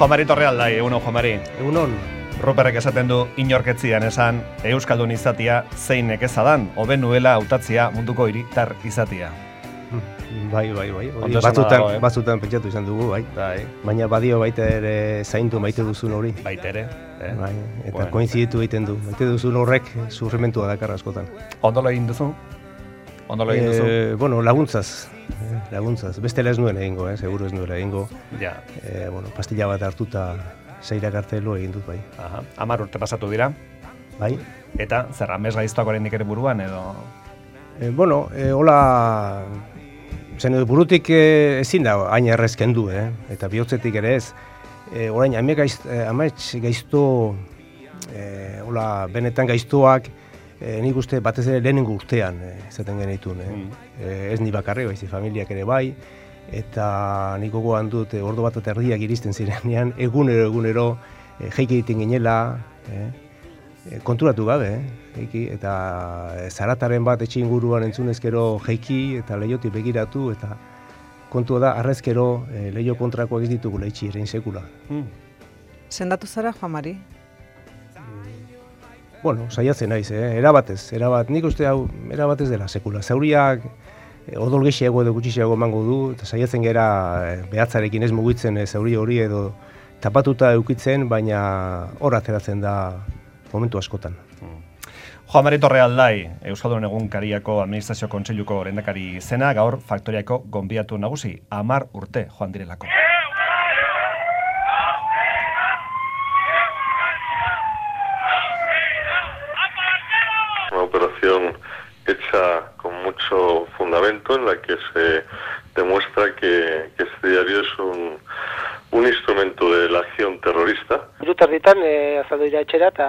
Juan Torrealdai, egunon Juan Mari. Egunon. Ruperrek esaten du inorketzian esan euskaldun izatia zeinek ezadan, hobe nuela hautatzia munduko hiritar izatia. Bai. Batzutan pentsatu izan dugu, bai. Baina badio baita ere zaindu maite duzun hori. Baita ere. Bai, eta koinziditu egiten du. Maite duzun horrek sufrimentua dakar askotan. Ondolo egin duzu? Bueno, laguntzaz. Bestela ez nuen egingo, seguro ez nuela egingo. Ja. Pastilla bat hartuta zeirak artelo egin dut, bai. 10 urte pasatu dira. Bai. Eta zer amez gaiztoak oraindik ere buruan edo? Hola... Zen burutik ezin da hain errez kendu, eta bihotzetik ere ez. Orain, amets gaizto, benetan gaiztoak, nik uste batez ere lehenengo urtean izaten genitun. Ez ni bakarri, baizi familiak ere bai, eta nik gogoan dut ordu bat eta erdiak iristen zirenean, egunero, jeiki egiten ginela, konturatu gabe, eta zarataren bat etxe inguruan entzunezkero jeiki eta leiotik begiratu, eta kontua da, arrezkero leio kontrakoak ez ditugu leitxi ere insekula. Sendatu zara, Juan Mari? Saiatzen naiz, erabatez, nik uste hau erabatez dela sekula. Zauriak odol gehiago edo gutxiago emango du, eta saiatzen gera behatzarekin ez mugitzen zauri hori edo tapatuta eukitzen, baina hor ateratzen da momentu askotan. Juan Mari Torrealdai, Euskaldun Egunkariako Administrazio Kontseiluko lehendakari izena, gaur Faktoriako gonbidatu nagusi, 10 urte joan direlako. Una operación hecha con mucho fundamento en la que se demuestra que este diario es un instrumento de la acción terrorista. Hirutarritan azaldu dira etxera eta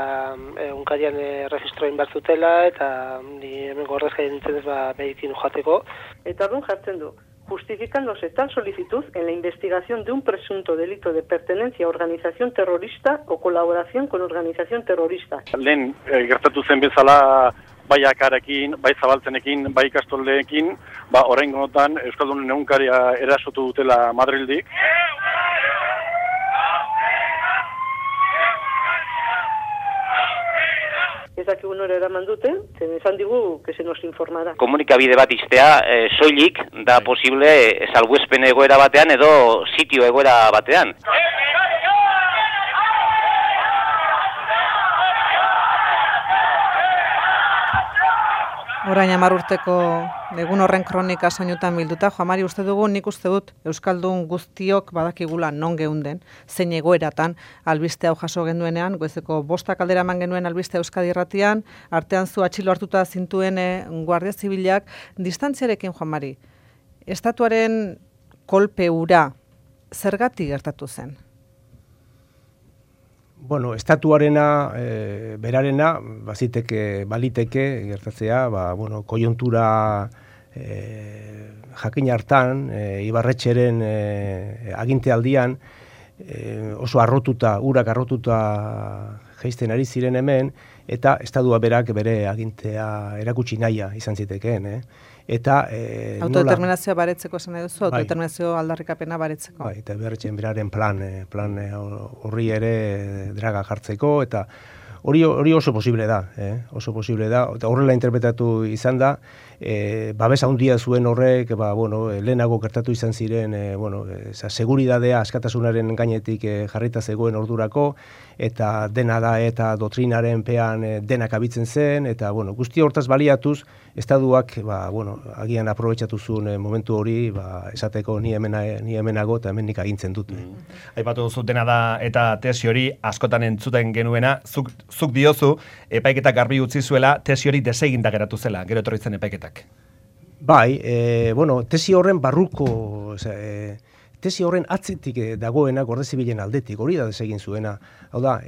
egunkarian registroin bat zutela eta ni hemen gorrezka nintzen ez medikin joateko. Eta orduan jartzen du, justificándose tal solicitud en la investigación de un presunto delito de pertenencia a organización terrorista o colaboración con organización terrorista. Lehen gertatu zen bezala bai akarekin, bai zabaltzenekin, bai ikastoldeekin, oraingotan Euskaldunen Egunkaria erasotu dutela Madrildik. Ez dakigu nora eraman dute, zen esan digu que se nos informará. Komunikabide bat iztea, soilik da posible salbuespen egoera batean edo sitio egoera batean. Orain 10 urteko egun horren kronika soinutan bilduta, Juan Mari, nik uste dut Euskaldun guztiok badakigula non geunden, zein egoeratan albiste hau jaso genduenean, goizeko 5 aldera eman genuen albiste Euskadi Irratian, artean zu atxilo hartuta zintuen Guardia Zibilak, distantziarekin, Juan Mari, estatuaren kolpe hura zergatik gertatu zen? Estatuarena, berarena, baliteke gertatzea, koiuntura jakin hartan, Ibarretxeren agintealdian, oso urak arrotuta jaisten ari ziren hemen, eta estatua berak bere agintea erakutsi nahia izan zitekeen, Eta autodeterminazioa baretzeko esan nahi duzu, autodeterminazio aldarrikapena baretzeko. Eta Ibarretxeren beraren plan horri ere draga jartzeko, eta hori oso posible da, eta horrela interpretatu izan da, babesa handia zuen horrek, lehenago gertatu izan ziren, seguridadea askatasunaren gainetik jarrita zegoen ordurako, eta dena da eta doktrinaren pean denak abitzen zen, eta guzti hortaz baliatuz, estaduak agian aprobetxatu zuen momentu hori, esateko ni hemenago eta hemen nik agintzen dut. Aipatu duzu dena da eta tesi hori askotan entzuten genuena, zuk diozu, epaiketak garbi utzi zuela, tesi hori deseginda geratu zela, gero etorri zen epaiketak. Bai, tesi horren barruko, tesi horren atzetik dagoena Guardia Zibilen aldetik, hori da desegin zuena. Hau da,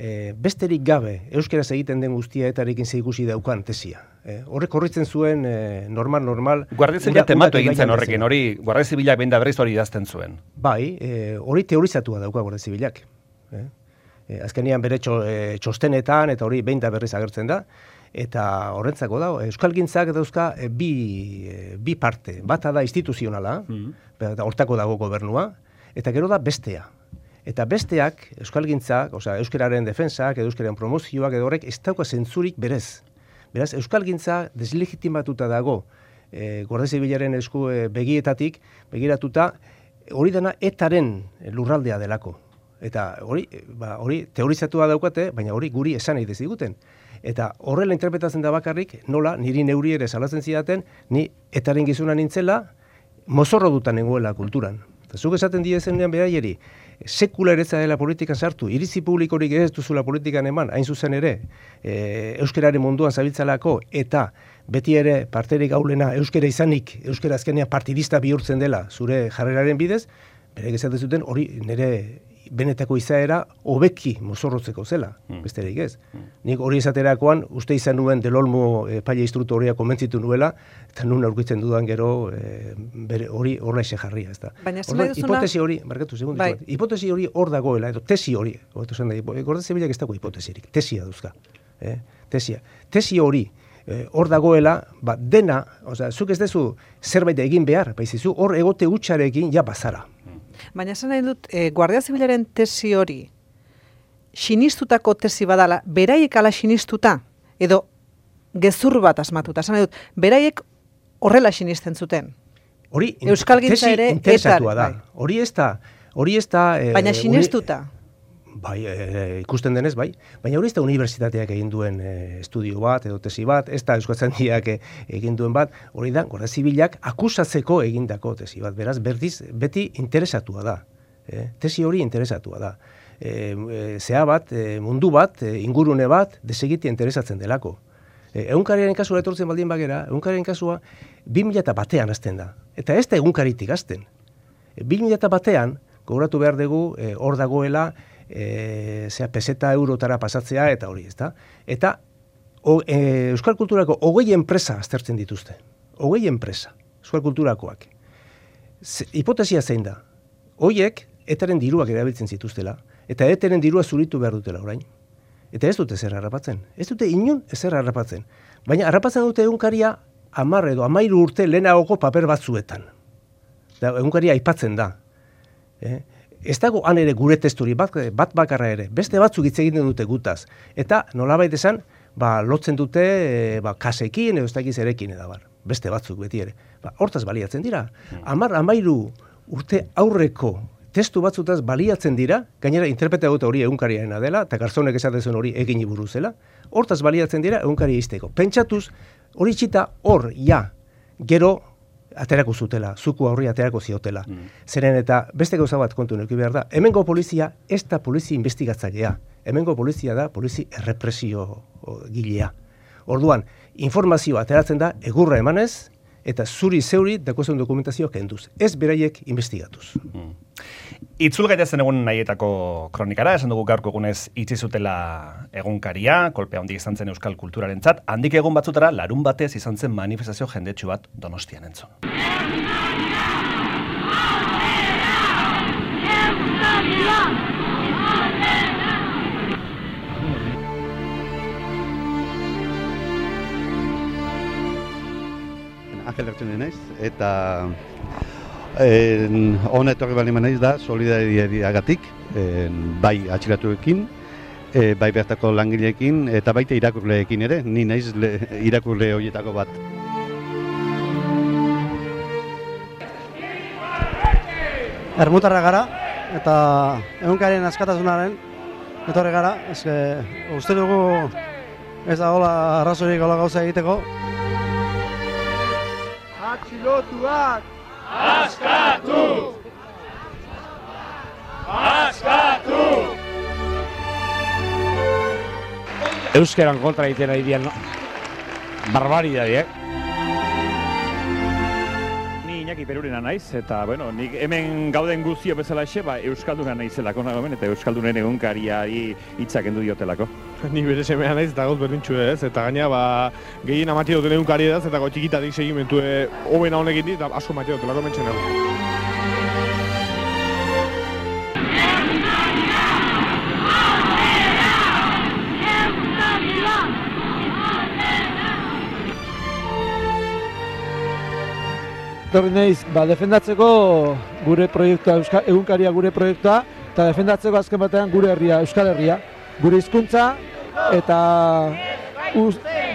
besterik gabe, euskeraz egiten den guztia etarekin zeikusi daukan tesia. Horrek horritzen zuen normal. Guardia Zibila tematu egin zen horrekin, hori Guardia Zibilak behin da berriz hori idazten zuen. Bai, hori teorizatua dauka Guardia Zibilak. Azkenean bere txostenetan eta hori behin da berriz agertzen da. Eta horrentzako da, euskalgintzak dauzka bi parte. Bata da instituzionala, hortako dago gobernua, eta gero da bestea. Eta besteak, euskalgintzak, euskararen defensak, edo euskararen promozioak, edo horrek ez dauka zentzurik berez. Beraz, euskalgintza deslegitimatuta dago, Guardia Zibilaren esku begietatik, begiratuta, hori dena etaren lurraldea delako. Eta hori teorizatua daukate, baina hori guri esan nahi deziguten. Eta horrela interpretatzen da bakarrik, nola, niri neuri ere salatzen zidaten, ni etaren gizuna nintzela, mozorro dutan nengoela kulturan. Eta zuk esaten diezenean beraieri, sekula eretza dela politikan sartu, iritzi publikorik ez duzula politikan eman, hain zuzen ere, euskararen munduan zabiltzalako, eta beti ere parterik gaulena euskara izanik, euskara azkenean partidista bihurtzen dela zure jarreraren bidez, bere esaten zuten hori nire benetako izaera hobeki mozorrotzeko zela, besterik ez. Nik hori esaterakoan, uste izan nuen Del Olmo epaile instruktorea konbentzitu nuela, eta nun aurkitzen dudan gero hori horra ese jarria, ez da. Hipotesi hori, markatu segundu, hipotesi hori hor dagoela, edo tesi hori, Guardia Zibilak ez dago hipotesirik, tesia duzka. Tesi hori hor dagoela, dena, zuk ez dezu zerbait egin behar, baizizu, hor egote hutsarekin ja bazara. Baina esan nahi dut, Guardia Zibilaren tesi hori, sinistutako tesi badala, beraiek ala sinistuta, edo gezur bat asmatuta, esan nahi dut, beraiek horrela sinisten zuten. Hori, Euskalgintza ere, interesatua da. Hori ez da... Baina sinistuta. Bai, ikusten denez, bai. Baina hori ez da unibertsitateak egin duen estudio bat, edo tesi bat, ez da Euskaltzaindiak egin duen bat, hori da, Guardia Zibilak akusatzeko egindako tesi bat. Beraz, beti interesatua da. Tesi hori interesatua da. Zea bat, mundu bat, ingurune bat, desegiti interesatzen delako. Egunkariaren kasua etortzen baldin bagera, egunkariaren kasua 2001an hasten da. Eta ez da egunkaritik hasten. 2001an, gogoratu behar dugu, hor dagoela, peseta eurotara pasatzea eta hori, ezta? Eta euskal kulturako 20 enpresa aztertzen dituzte. 20 enpresa, euskal kulturakoak. Hipotesia zein da? Hoiek etaren diruak erabiltzen zituztela, eta etaren dirua zuritu behar dutela orain. Eta ez dute zer harrapatzen. Ez dute inon ezer harrapatzen. Baina harrapatzen dute egunkaria 10 edo 13 urte lehenagoko paper batzuetan. Egunkaria aipatzen da. Ez dago han ere gure testuri, bat bakarra ere, beste batzuk hitz egiten dute gutaz. Eta nolabait esan, lotzen dute kasekin edo ez dakiz erekin edabar. Beste batzuk beti ere. Hortaz baliatzen dira. 10-13 urte aurreko testu batzutaz baliatzen dira, gainera interpreta dute hori egunkariarena dela, eta Garzonek esaten zuen hori egin buruzela, hortaz baliatzen dira egunkaria izteko. Pentsatuz, hori txita hor, gero aterako zutela, zuku aurri aterako ziotela. Zeren eta beste gauza bat kontu neuki behar da, hemengo polizia ez da polizia investigatzailea, hemengo polizia da polizia errepresio gilea. Orduan, informazioa ateratzen da egurra emanez, eta zuri-zeuri dakozen dokumentazioa kenduz. Ez beraiek investigatuz. Itzul gaitezen egun nahietako kronikara, esan dugu gaurko egunez itzi zutela egunkaria, kolpea handik izan zen euskal kulturarentzat, handik egun batzutara larun batez izan zen manifestazio jendetsu bat Donostian entzun. Angel Ertxune naiz, eta honetorri bali naiz da solidariagatik, bai atxilatuekin, bai bertako langileekin, eta baita irakurleekin ere, ni naiz irakurle horietako bat. Ermutarra gara, eta egunkarien askatasunaren etorri gara, uste dugu ez da hola arrazorik hola gauza egiteko. Atxilotuak! Askatu! Askatu! Euskaran kontra egiten ari dian barbaridade, Ni Iñaki Perurena naiz, eta, nik hemen gauden guztio bezalaxe, Euskalduna naizelako nagoen, eta Euskaldunen egunkariari hitzak endu diotelako. Ni bere semea naiz, eta gauz berdintxu ez, eta gaina, gehien amati duten egunkari edaz, eta txikitatik segimentu hobena honekin dit, eta asko mati dutelako mentxen egun. Torri naiz, defendatzeko gure proiektua, egunkaria gure proiektua, eta defendatzeko azken batean gure herria, Euskal Herria, gure hizkuntza eta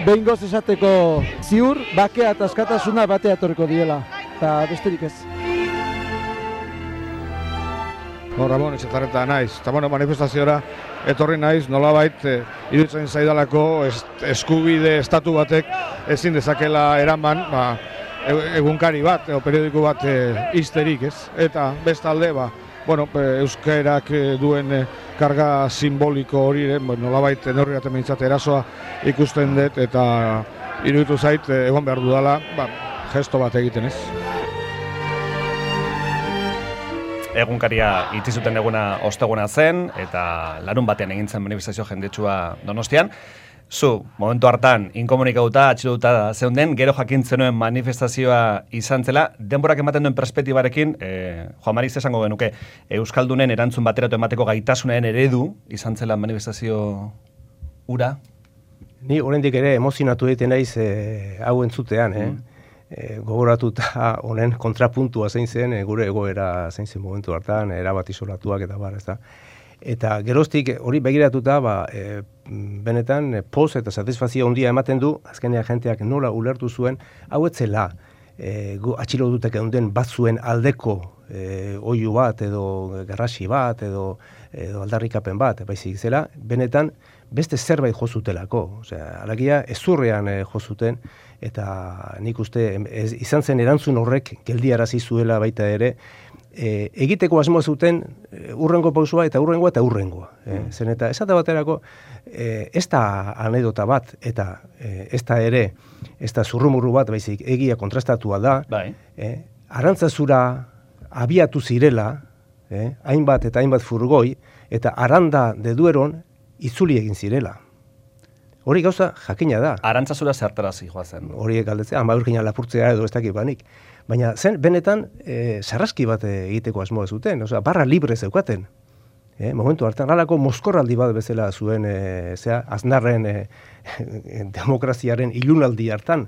behingoz esateko ziur, bakea eta askatasuna batea etorriko diela, eta besterik ez. Ramon, etxetarreta naiz, eta manifestaziora etorri naiz, nolabait iruditzen zaidalako eskubide estatu batek ezin dezakela eraman egunkari bat, periodiko bat izterik, ez? Eta bestalde, euskarak duen karga simboliko hori, nolabait neurri baten behintzat erasoa ikusten dut, eta iruditu zait egon behar dudala, gesto bat egiten, ez? Egunkaria itzi zuten eguna osteguna zen, eta larun batean egin zen manifestazio jendetsua Donostian. Zu, momentu hartan, inkomunikatuta, atxilotuta zeunden, gero jakin zenuen manifestazioa izan zela, denborak ematen duen perspektibarekin, Juan Mari, esango genuke, Euskaldunen erantzun bateratu emateko gaitasunaren eredu izan zela manifestazio ura? Ni oraindik ere emozionatu egiten naiz hau entzutean, gogoratuta honen kontrapuntua zein zen, gure egoera zein zen momentu hartan, erabat isolatuak eta bar, ezta. Eta geroztik hori begiratuta, benetan poz eta satisfazio handia ematen du, azkenean jenteak nola ulertu zuen, hau etzela atxilotutek eunden batzuen aldeko oihu bat, edo garrasi bat, edo aldarrikapen bat, baizik zela, benetan beste zerbait jo zutelako. Osea, alagia ezurrean jo zuten, eta nik uste izan zen erantzun horrek geldiarazi zuela baita ere, egiteko asmoa zuten urrengo pausua eta urrengoa. Zen eta esate baterako ez da anedota bat eta ez da zurrumurru bat, baizik egia kontrastatua da, Arantzazura abiatu zirela, hainbat eta hainbat furgoi, eta Aranda de Dueron itzuli egin zirela. Hori gauza jakina da. Arantzazura zertarazi joazen. Hori galdetzea, Urkina lapurtzea edo ez dakit banik. Baina zen, benetan, sarraski bat egiteko asmoa zuten, barra libre zeukaten. Momentu hartan, halako mozkorraldi bat bezala zuen, Aznarren demokraziaren ilunaldi hartan,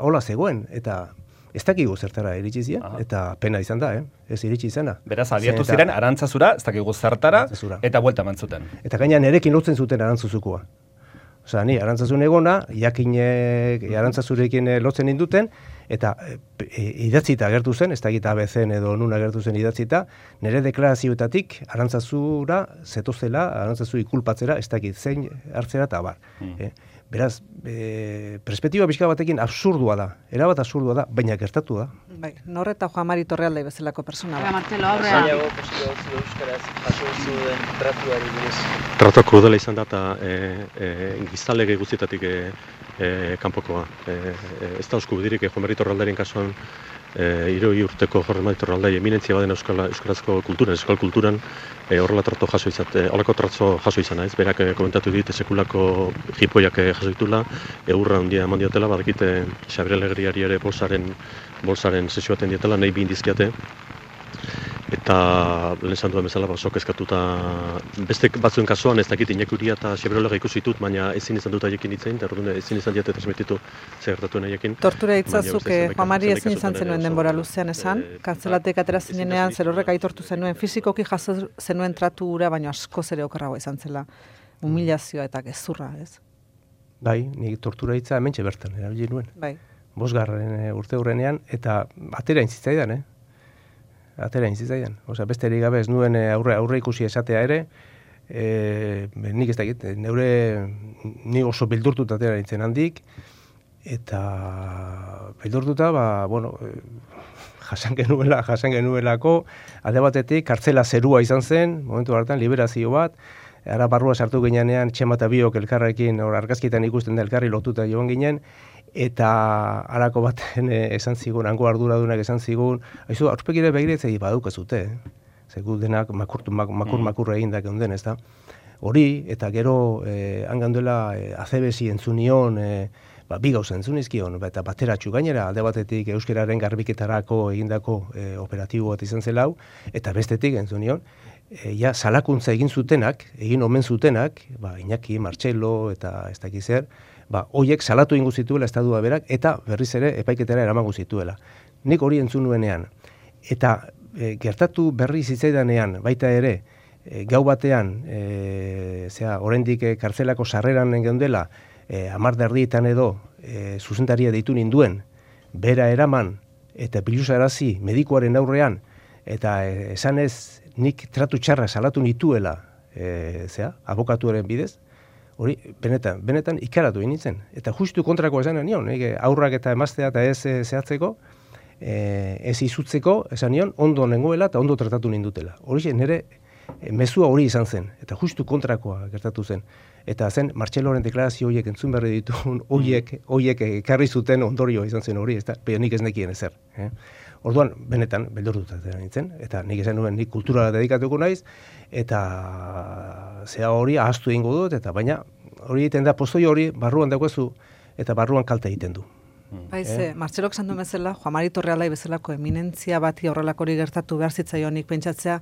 hola zegoen, eta ez dakigu zertara iritsi ziren, eta pena izan da, ez iritsi izana. Beraz, abiatu ziren Arantzazura, ez dakigu zertara, eta buelta eman zuten. Eta gaina nerekin lotzen zuten Arantzazukoa. Osea, ni Arantzazun egona, jakinek Arantzazurekin lotzen induten, eta idatzita agertu zen, ez da egita ABCen edo nun agertu zen idatzita, nire deklarazioetatik Arantzazura zetozela, Arantzazu ikulpatzera, ez da egit zein hartzera eta bar. Beraz, perspektiba pixka batekin absurdua da, erabat absurdua da, baina gertatu da. Bai, Nor eta Juan Mari Torrealde bezalako persona da. Martelo, aurrea. Zailago posizio euskaraz jaso zuen tratuari buruz. Tratu krudela izan da eta gizalege guztietatik kanpokoa. Ez da eskubidirik Juan Mari Torrealderen kasuan 60 urteko Juan Mari Torrealdai eminentzia baden euskarazko kulturan, euskal kulturan horrela trato jaso izate, holako trato jaso izan naiz. Berak komentatu dit sekulako jipoiak jaso ditula, eurra handia eman diatela, badakite Xabier Alegriari ere bolsaren sesioaten diatela, nahi bi indizkiate. Eta lehen esan duen bezala sok eskatuta beste batzuen kasuan ez dakit Iñaki eta Xabier ikusi ditut, baina ezin izan dut haiekin hitz egin, eta orduan ezin izan diate transmititu zer gertatu haiekin. Tortura hitzazuk Juan Mari ezin izan zenuen denbora luzean esan, kantzelatek atera zinenean zer horrek aitortu zenuen, fisikoki jaso zenuen tratu ura, baina asko ere okerragoa izan zela, humilazioa eta gezurra, ez? Bai, nik tortura hitza hementxe bertan erabili nuen. Bai. 5. urte hurrenean, eta atera intzitzaidan, Atera inzitzaidan. Osea, besterik gabe ez nuen aurre ikusi esatea ere, nik ez dakit, ni oso bildurtuta atera nintzen handik, eta bildurtuta, jasan genuelako, alde batetik, kartzela zerua izan zen, momentu hartan, liberazio bat, ara barrua sartu ginean, Txema eta biok elkarrekin, argazkitan ikusten da elkarri lotuta joan ginen, eta harako baten esan zigun, hango arduradunak esan zigun, haizu, aurpegire begiretzei badukazute, zegu denak makur egin da geunden, ez da? Hori, eta gero, hanganduela azebesi entzunion, bi gauza entzunizkion, eta bateratxu gainera, alde batetik euskararen garbiketarako egindako operatibo bat izan zela hau, eta bestetik entzunion, salakuntza egin omen zutenak, Iñaki, Martxelo, eta ez dakiz zer, hoiek salatu ingo zituela estadua berak, eta berriz ere epaiketara eramango zituela. Nik hori entzun nuenean. Eta gertatu berri zitzaidanean, baita ere, gau batean, oraindik kartzelako sarreran geundela, 10:30 edo zuzendaria deitu ninduen, bera eraman eta biluzarazi medikuaren aurrean, eta esanez nik tratu txarra salatu nituela, abokatuaren bidez, hori, benetan ikaratu nintzen. Eta justu kontrakoa esan nion, aurrak eta emaztea eta ez zehatzeko, ez izutzeko, esan nion, ondo nengoela eta ondo tratatu nindutela. Hori nire mezua hori izan zen, eta justu kontrakoa gertatu zen. Eta zen, Martxeloren deklarazio horiek entzun berri dituen, horiek ekarri zuten ondorioa izan zen hori, baina nik ez nekien ezer. Orduan, benetan, beldurtuta nintzen, eta nik esan nuen, nik kulturala dedikatuko naiz, eta zea hori ahaztu egingo dut, eta baina hori egiten da, postoi hori barruan daukazu, eta barruan kalte egiten du. Martxelok esan duen bezala, Juan Mari Torrealai bezalako eminentzia bati horrelakori gertatu behar zitzaionik pentsatzea,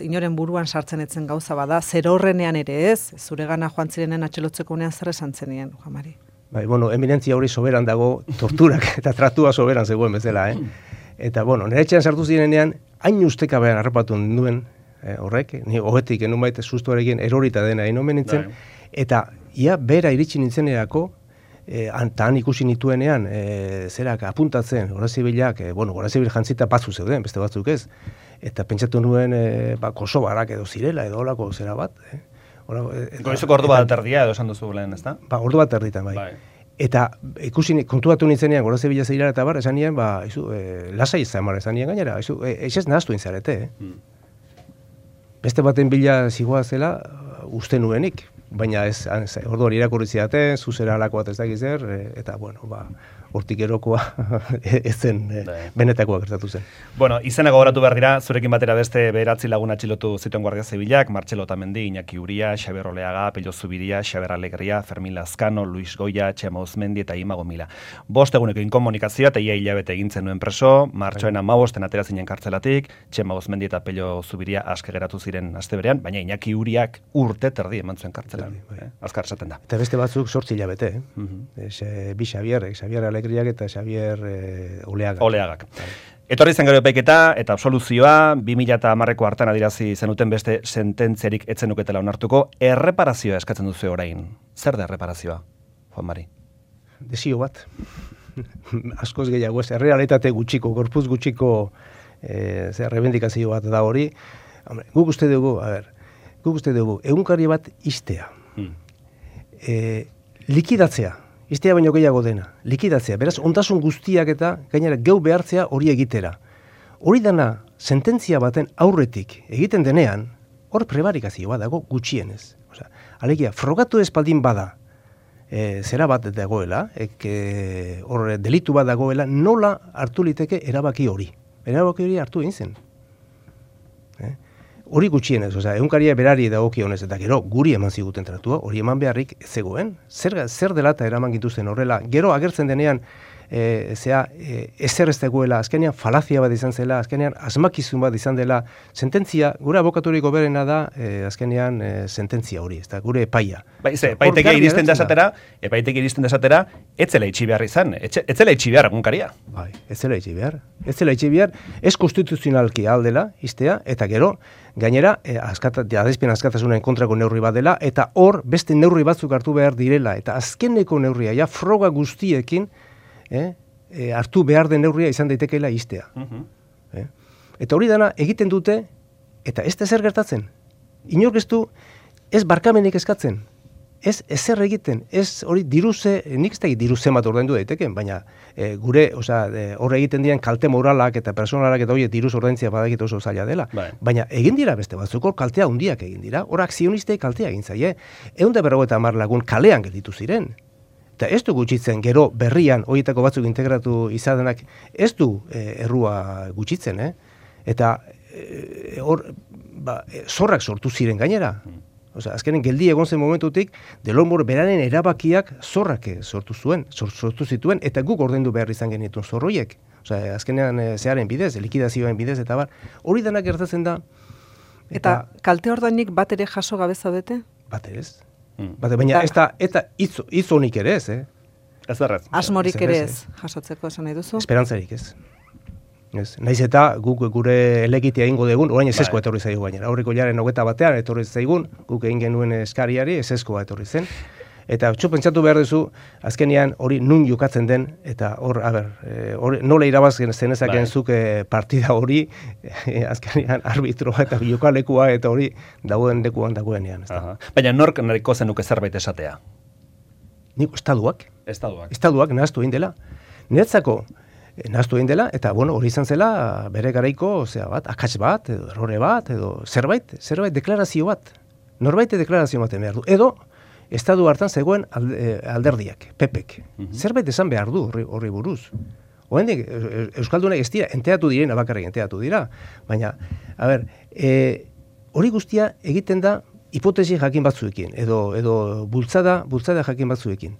inoren buruan sartzen etzen gauza bada, zer horrenean ere ez, zuregana joan zirenen atxelotzeko unean zer esan zenien, Juan Mari? Eminentzia hori soberan dago, torturak eta tratua soberan zegoen bezala, Eta, nire etxean sartu zirenean, hain ustekabean harrapatu nuen, horrek, ni hogetik enun baita sustuarekin erorita dena inomen nintzen, eta ia bera iritsi nintzenerako, han ikusi nituenean, zerak apuntatzen, Gorazibilak, Gorazibil jantzita batzu zeuden, beste batzuk ez, eta pentsatu nuen Kosovarak edo zirela, edo holako zera bat. Goizoko ordu bat erdia edo esan duzu lehen, ez da? Ordu bat erditan, bai. Eta ikusi kontuatu nintzenean, Gorazibila zeirara eta bar, esan nien, lasai izan mara, esan nien gainera, ez nahaztu intzarete, Beste baten bila zigoa zela, uste nuenik, baina ez, orduan irakurri zidaten, zuzera alako bat ez dakiz eta, hortik erokoa ez zen benetakoa gertatu zen. Izena gogoratu behar dira, zurekin batera beste beratzi lagun atxilotu zituen Guardia Zibilak, Martxelo Otamendi, Iñaki Uria, Xabier Oleaga, Pello Zubiria, Xabier Alegria, Fermin Lazkano, Luis Goya, Txema Uzmendi eta Ima Gomila. 5 eguneko inkomunikazioa eta ia hilabete egintzen nuen preso, martxoen 15 atera zinen kartzelatik, Txema Uzmendi eta Pello Zubiria aske geratu ziren aste berean, baina Iñaki Uriak urte terdi eman zuen kartzelan. Azkar esaten da. Eta beste batzuk 8 hilabete, bi Xabier Alegriak eta Xabier Oleagak. Etorri zen gero epaiketa eta absoluzioa 2010ko hartan adirazi zenuten beste sententziarik etzenuketela onartuko, erreparazioa eskatzen duzu orain. Zer da erreparazioa, Juan Mari? Desio bat. Askoz gehiago ez, errealitate gutxiko, gorpuz gutxiko rebendikazio bat da hori. Guk uste dugu, egunkari bat istea. Likidatzea. Iztea baino gehiago dena, likidatzea. Beraz, ondasun guztiak eta gainera geu behartzea hori egitera. Hori dana, sententzia baten aurretik egiten denean, hor prebarikazioa dago gutxienez. Alegia, frogatu espaldin bada, zera bat dagoela, hor delitu bat dagoela, nola hartu liteke erabaki hori. Erabaki hori hartu egin zen. Hori gutxienez, egunkaria berari dagokionez eta gero guri eman ziguten tratua, hori eman beharrik zegoen. Zer dela eta eraman gintuzten horrela. Gero agertzen denean, ezer ez dagoela, azkenean falazia bat izan zela, azkenean asmakizun bat izan dela, sententzia, gure abokaturiko berena da, azkenean sententzia hori, ez da, gure epaia. Epaiteke iristen desatera, etzela itxi behar izan, etzela itxi behar egunkaria. Bai, etzela itxi behar, ez konstituzionalki aldela, iztea, eta gero, gainera, adespien askatasunen kontrako neurri bat dela, eta hor beste neurri batzuk hartu behar direla, eta azkeneko neurria, ja, froga guztiekin, hartu behar den neurria izan daitekeela iztea. Eta hori dana egiten dute, eta ez da zer gertatzen. Inork ez du, ez barkamenik eskatzen, ez ezer egiten, ez hori diruze, nik ez da diruze bat ordaindu daiteken, baina gure, hor egiten diren kalte moralak eta personalak eta hori diruz ordaintzia badakit oso zaila dela. Baina egin dira beste batzuk, hor kaltea hundiak egin dira, hor akzionistei kaltea egin zaie, 150 lagun kalean gelditu ziren. Eta ez du gutxitzen, gero berrian, horietako batzuk integratu izadenak, ez du errua gutxitzen, Eta hor, zorrak sortu ziren gainera. Azkenen geldi egon zen momentutik, Delonbor beraren erabakiak zorrak sortu zituen, eta guk ordaindu behar izan genituen zorroiek. Azkenean zearen bidez, likidazioen bidez, eta hori denak gertatzen da. Eta kalte ordainik bat ere jaso gabe zaudete? Bat ere ez. Baina eta hitz honik ere ez, Ez errez. Asmorik ere ez, jasotzeko esan nahi duzu? Esperantzarik ez. Naiz eta guk gure elegitea egingo dugun, orain ezeskoa etorri zaigu gainera. Aurreko hilaren 21 etorri zaigun, guk egin genuen eskariari ezeskoa etorri zen. Eta pentsatu behar duzu, azkenean hori nun jokatzen den, eta hor, nola irabazken zenezaken zuk partida hori, azkenean arbitroa eta jokalekua eta hori dagoen lekuan dagoenean. Baina nork nahiko zenuke zerbait esatea? Nik estaduak. Estaduak nahaztu egin dela. Niretzako nahaztu egin dela, eta hori izan zela bere garaiko, akats bat, edo errore bat, edo zerbait deklarazio bat. Norbait deklarazio baten behar du. Edo, estadu hartan zegoen alderdiak, pepek. Zerbait esan behar du horri buruz. Oendik, Euskaldunak ez dira, enteatu direna bakarrik enteatu dira. Baina, hori guztia egiten da hipotesi jakin batzuekin, edo bultzada jakin batzuekin.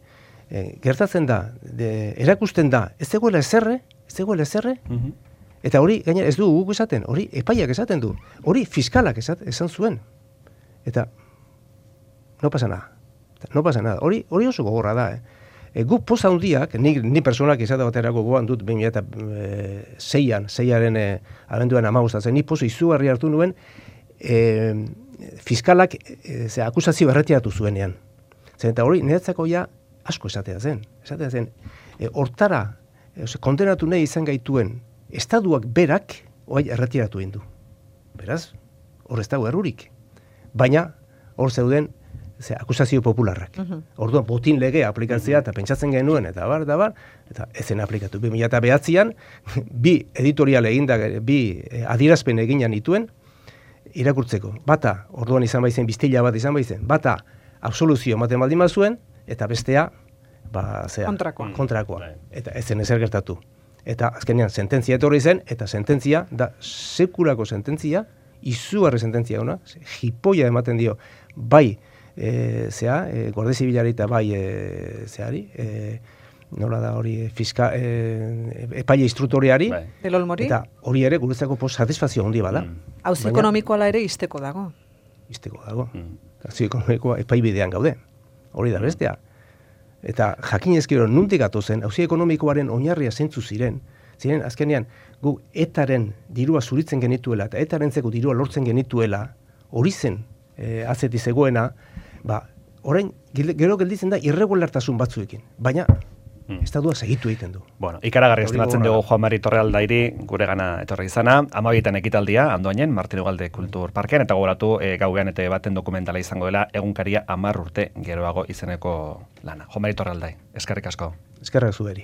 Gertatzen da, erakusten da, ez zegoela ezerre, eta hori, gainera, ez du guk esaten, hori epaiak esaten du, hori fiskalak esan zuen. Eta, no pasa nada. Hori oso gogorra da, Guk poza handiak, ni personak izate baterako goan dut 2006-aren abenduan 15, ni poza izugarri hartu nuen fiskalak akusazio erretiratu zuenean. Zer eta hori niretzako ja asko esatea zen. Hortara, kondenatu nahi izan gaituen estaduak berak erretiratu egin du. Beraz, hor ez dago errurik. Baina, hor zeuden akusazio popularrak. Orduan, botin legea aplikatzea eta pentsatzen genuen, eta ezen aplikatu. 2009an, bi editorial eginda, bi adierazpen eginan dituen, irakurtzeko. Bata, orduan izan baizen, biztila bat izan baizen, bata, absoluzio ematen baldin bazuen, eta bestea, kontrakoa. Eta ezen ezer gertatu. Eta azkenean, sententzia etorri zen, eta sententzia, da sekulako sententzia, izugarri sententzia ona, jipoia ematen dio, bai, Guardia Zibilari eta bai, nola da hori, epaile instruktoriari, eta hori ere guretzako satisfazio handi bada. Auzi ekonomikoa ere izteko dago. Auzi ekonomikoa epaibidean gaude, hori da bestea. Eta jakin ezkero nuntik atozen, auzi ekonomikoaren oinarria zeintzu ziren azkenean gu etaren dirua zuritzen genituela eta etarentzeko dirua lortzen genituela, hori zen atzeti zegoena, orain gero gelditzen da irregulartasun batzuekin, baina estadua segitu egiten du. Bueno, ikaragarri estimatzen dugu Juan Mari Torrealdairi gure gana etorri izana, 12 ekitaldia, Andoainen, Martin Ugalde Kultur Parkean, eta gogoratu gauean eta baten dokumentala izango dela, egunkaria 10 urte geroago izeneko lana. Juan Mari Torrealdai, eskerrik asko. Eskerrik zuberi.